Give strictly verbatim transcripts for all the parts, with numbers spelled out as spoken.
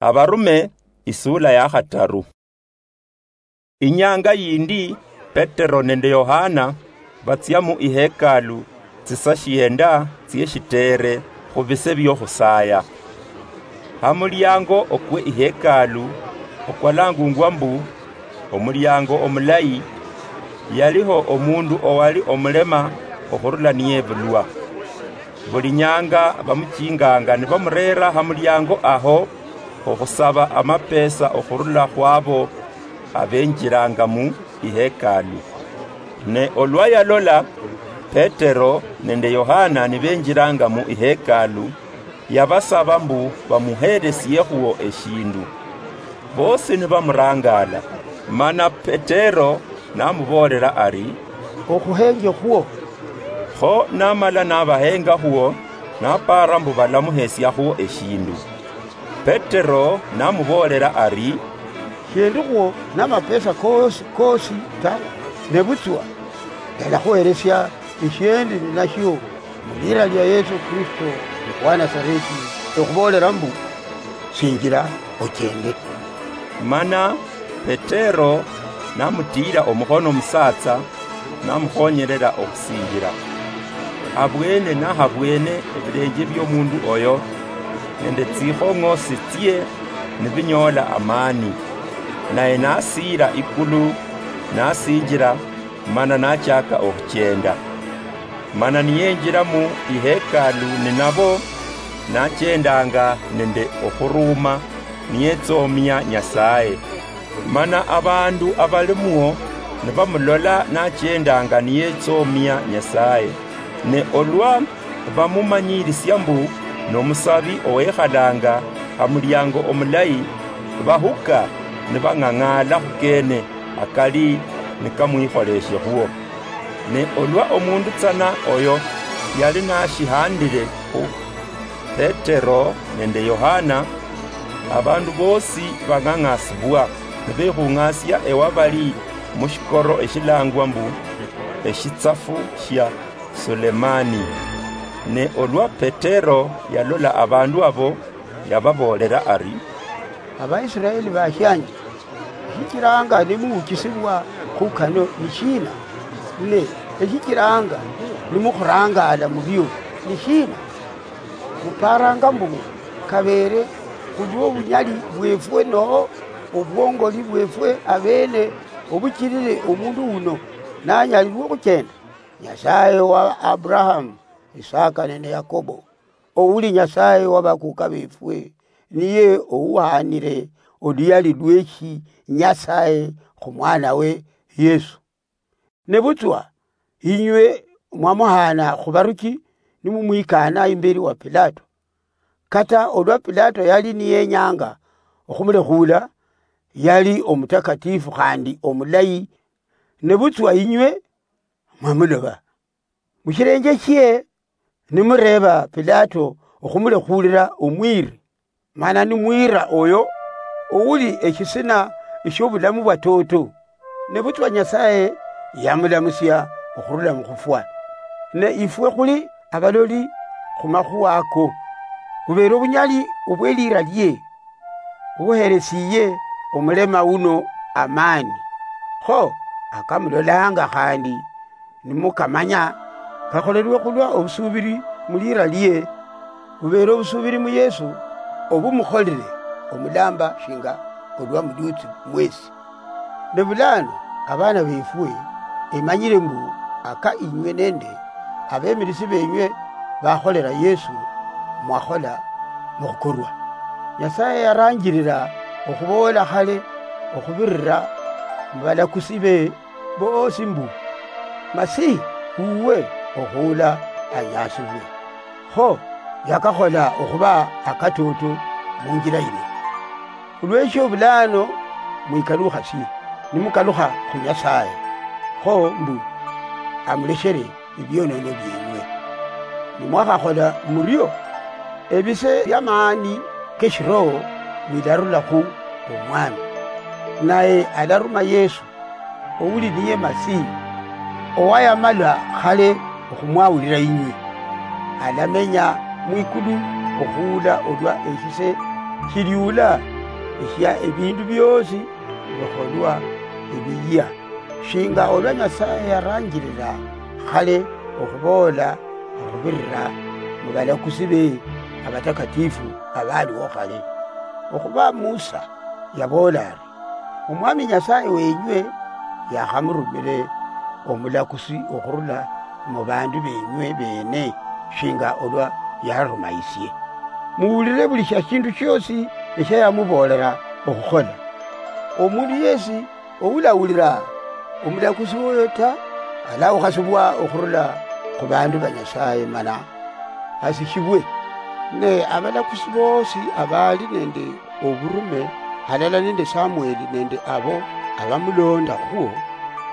Abarume, isula ya khataru. Inyanga yindi, Petero nende Yohana batsia mu ihekalu tsisa shienda tsieshitere khu bise biokhusaya. Ha muliango okwe ihekalu, okwalangungwa mbu omuliango omulayi, yaliho omundu owali omulema okhurula niyebulwa. Buli nyanga bamuchinganga nibamurera ha muliango aho okhusaba amapesa okhurula khwabo abenjiranga mu ihekalu. Ne olwa yalola Petero nende Yohana nibenjiranga mu ihekalu, yabasaba mbu bamuheresiekhuo eshindu. Bosi nibamurangala, mana Petero namuboolera ari, "Okhuhenje khuo." Kho namala nabahengakhuo, napara mbu balamuhesiakhuo eshindu. Petero namuboolera ari, "Shindikhwo namapesa koosi koosi ta, nebutswa ndalakhuheresia eshiendi ninashio mu liira lia Yesu Kristo wa Nasareti, ekhuboolera mbu, sinjira ochende." Mana Petero namutiira omukhono omusatsa, namukhonyerera okhusinjira. Abwene nahabwene ebilenje biomundu oyo nende tsikhong'osi tsie nibinyoola amani, naye nasiira ikulu, nasinjira, mana nachaka okhuchenda. Mana niyenjira mu ihekalu ninabo, nachendanga nende okhuruuma, niyetsomia Nyasaye. Mana abandu abalimwo nibamulola nachendanga niyetsomia Nyasaye. Ne olwa bamumanyirisia mbu nomusabi owekhalanga ha muliango omulayi, bahuka nibang'ang'ala khukene akali nikamwikholeshekhwo. Ne olwa omundu tsana oyo yali nashihandile khu Petero nende Yohana, abandu bosi bang'ang'asibwa, nibekhung'asia ewabali mushikoro eshilangwa mbu Eshitsafu shia Sulemani. Ne olwa Petero yalola abandu abo, yababoolera ari, "Abaisiraeli bashianje, eshichiranga nimuuchisibwa khu kano ni shina? Ne eshichiranga nimukhurangala murio ni shina? Muparanga mbu kabeere khulwo obunyali bwefwe noho obwongoli bwefwe abene obuchirire omundu uno nanyalirwe okhuchenda? Nyasaye wa Abrahamu, Isaka nende Yakobo, ouli Nyasaye wa bakuka befwe, niye ouhanire oluyali lweshi Nyasaye khu mwanawe Yesu. Nebutswa inywe mwamuhana khubaruchi nimumwikana imberi wa Pilato. Kata olwa Pilato yali niyenyanga okhumulekhula, yali omutakatifu khandi omulayi, nebutswa inywe mwamuloba. Mushirenje shie nimureeba Pilato okhumulekhulira omwiri, mana nimwira oyo ouli eshisina eshiobulamu bwatoto, nebutswa Nyasaye yamulamusia okhurula mukhufwa. Ne ifwe khuli abaloli khumakhuwa ako, khubera obunyali obwelira lie obuheresiye omulema uno amani. Kho akamulolanga khandi nimukamanya, kakholelwe khulwa obusubiri mulira lie, bubeere obusubiri mu Yesu, obumukholire omulamba shinga olwa muduutsi mwesi. Ne bulano, abana befwe, emanyire mbu aka inywe nende abemirisi benywe bakholera Yesu, mwakhola mukhukorwa. Nyasaye yaranjirira okhuboola khale okhubirira mubalakusi be boosi mbu, Masihi uwe okhuula anyasibwe. Kho yakakhola okhuba akatoto munjila yino. Khulweshio bulano mwikalukhasie, nimukalukha khu Nyasaye, kho mbu amuleshere ebionono bienywe. Nimwakhakhola murio, ebise biamaani keshiroho bilarula khu Omwami, naye alaruma Yesu, ouli niye Masihi, owayamala khale okhumwawulira inywe. Alamenya mwikulu okhuula olwa eshise shiliula eshia ebiindu bioosi bikholwa ebiyia, shinga olwa Nyasaye yaranjirira khale okhuboola okhubirira mu balakusi be abatakatifu abaliwo khale. Okhuba Musa yaboola ari, Omwami Nyasaye wenywe yakhamurumire omulakusi okhurula mu bandu benywe beene, shinga olwa yararuma isie. Muwulire buli shia shindu shiosi eshia yamuboolera okhukhola. Omundu yesi oulawulira omulakusi woyo ta, alawukhasibwa okhurula khu bandu ba Nyasaye mana asishibwe. Ne abalakusi boosi abali nende oburume halala nende Samueli nende abo abamuloondakhwo,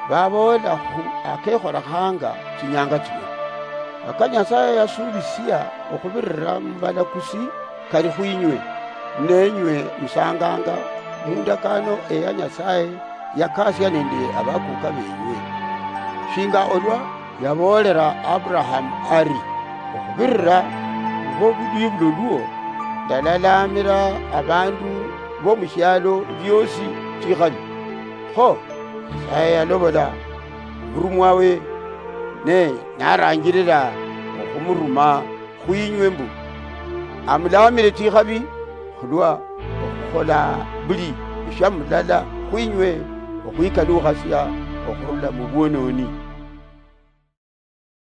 baboola khu akekholekhanga tsinyanga tsino. Aka Nyasaye yasubisia okhubirira mu balakusi kali khwinywe, nenywe musanganga mu ndakano eya Nyasaye yakasia nende abakuka benywe. Shinga olwa yaboolera Abrahamu ari, okhubirira khwo budwibulolwo, ndalalaamira abandu bomushialo biosi tsikhabi. Kho Nyasaye yalobola omurumwawe, ne naranjirira okhumuruma khwinywe mbu amulaamire tsikhabi khulwa okhukhola buli eshamulala khwinywe okhwikalukhasia okhurula mu bwononi.